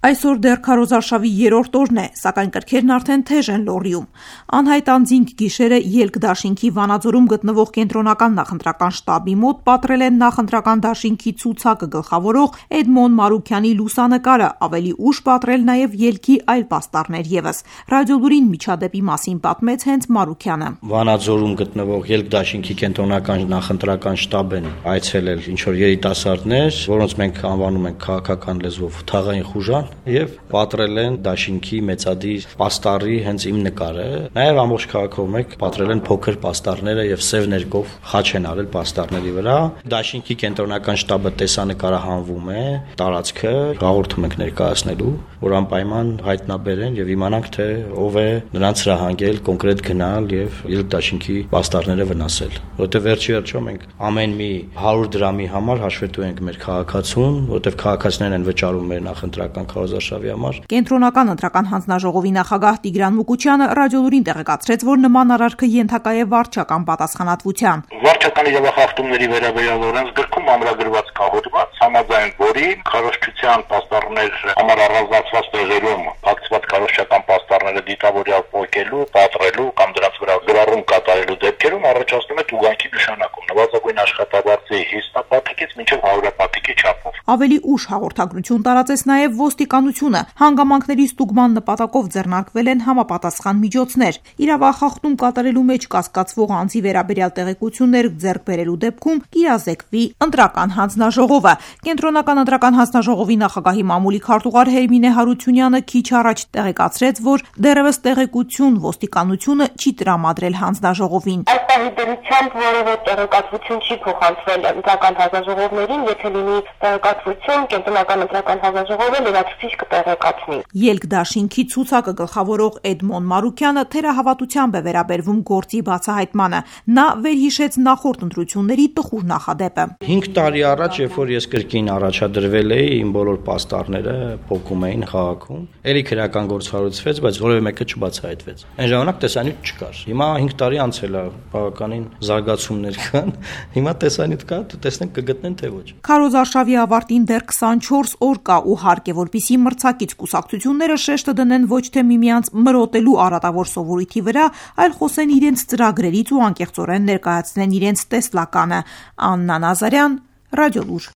Այսօր դեռ քարոզարշավի 3-րդ օրն է, սակայն կրքերն արդեն թեժ են Լոռիում։ Անհայտ անձինք գիշերը Ելք դաշինքի Վանաձորում գտնվող կենտրոնական նախընտրական շտաբի մոտ պատռել են նախընտրական դաշինքի ցուցակը գլխավորող Էդմոն Մարուքյանի լուսանկարը, ավելի ուշ պատռել նաև ելքի այլ պաստառներ ևս։ Ռադիոլուրին միջադեպի մասին պատմեց հենց Մարուքյանը։ Վանաձորում գտնվող Ելք դաշինքի կենտրոնական նախընտրական շտաբ են այցելել ինչ-որ երիտասարդներ, որոնց մենք անվանում ենք քաղաքական լեզվով թաղային խուժան, եւ պատռել են դաշինքի մեծադիր պաստառի հենց իմ նկարը, նաեւ ամբողջ քաղաքով մեկ պատռել են փոքր պաստառները եւ սև ներկով խաչ են արել պաստառների վրա։ Դաշինքի կենտրոնական շտաբը տեսանկարահանվում է, տարածքը հաղորդում ենք ներկայացնելու, որ անպայման հայտնաբերեն եւ իմանանք թե ով է նրանց հրահանգել կոնկրետ գնալ եւ Ելք դաշինքի պաստառները վնասել, որտեղ վերջի վերջո մենք ամեն մի 100 դրամի համար հաշվետու ենք մեր քաղաքացուն, որտեղ քաղաքացիներն են վճարում մեր նախընտրական քարոզարշավի համար։ Կենտրոնական ընտրական հանձնաժողովի նախագահ Տիգրան Մուկուչյանը ռադիոլուրին տեղեկացրեց, որ նման արարքը ենթակա է վարչական պատասխանատվության։ Վարչական իրավախախտումների վերաբերյալ օրենսգրքում ամրագրված կահոդված, համաձայն որի քարոզչության պաստառներ համար առանձնացված տեղերում փակցված քարոզչական պաստառները դիտավորյալ փոկելու, պատռելու կամ դրանց վրա գրառում կատարելու դեպքերում առաջացնում է տուգանքի նշանակում նվազագույն աշխատավարձի 50-ից մինչև 100-ի չափով։ Ավելի ուշ հաղորդագրություն տարածեց նաև ոստիկանությունը։ Հանգամանքների ստուգման նպատակով ձեռնարկվել են համապատասխան միջոցներ։ Իրավախախտում կատարելու մեջ կասկածվող անձի վերաբերյալ տեղեկություններ ձեռք բերելու դեպքում կիրազեկվի ընտրական հանձնաժողովը։ Կենտրոնական ընտրական հանձնաժողովի նախագահի մամուլի քարտուղար Հերմինե Հարությունյանը քիչ առաջ տեղեկացրեց, որ դեռևս տեղեկություն ոստիկանությունը չի տրամադրել հանձնաժողովին։ Այս պահի դրությամբ որևէ տեղեկատվություն չի փոխանցվել ընտրական հանձնաժողովներին, եթե լինի տեղեկատվություն, կենտրոնական ընտրական հանձնաժողովը լրացուցիչ կտեղեկացնի։ Ելք դաշինքի ցուցակը գլխավորող Էդմոն Մարուքյանը թերահավատությամբ է վերաբերվում գործի բացահայտմանը։ Նա վերհիշեց նախորդ ընտրությունների տխուր նախադեպը։ 5 տարի առաջ, երբ որ ես կրկին առաջադրվել էի, իմ բոլոր պաստառները փոկում էին քաղաքում, ելի քրեական գործ հարուցվեց, բայց որևէ մեկը չբացահայտվեց։ Այն ժամանակ տեսանյութ չկար։ Հիմա 5 տարի անցել է, բավականին զարգացումներ կան։ Հիմա տեսանյութ կա, տեսնենք կգտնեն թե ոչ։ Քարոզարշավի ավարտին դեռ 24 օր կա ու հարկ է, որպեսզի մրցակից կուսակցությունները շեշտը դնեն ոչ թե միմյանց մրոտելու արատավոր սովորույթի վրա, այլ խոսեն իրենց ծրագրերից ու անկեղծորեն ներկայացնեն իրենց տեսլականը։ Աննա Նազարյան, Ռադիոլուր։